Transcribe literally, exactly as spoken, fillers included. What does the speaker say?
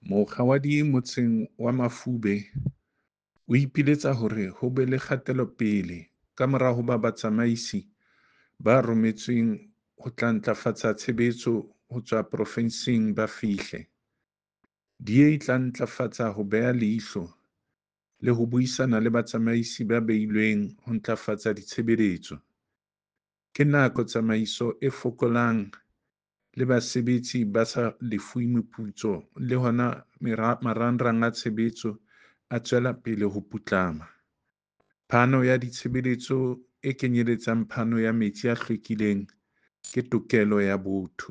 Mokga wa D motseng wa Mafube o ipiletsa hore ho be le kgatelopele kamora hoba batsamaisi ba rometsweng ho tla ntlafatsa tshebetso ho tswa porofenseng ba fihle. D A e tla ntlafatsa ho beha leihlo le ho buisana le batsamaisi ba beilweng ho ntlafatsa ditshebeletso. Ke nako tsamaiso e fokolang le basebetsi ba sa lefuwe meputso le hona marangrang a tshebetso a tswela pele ho putlama. Phano ya ditshebeletso e kenyeletsang phano ya metsi a hlwekileng ke tokelo ya botho.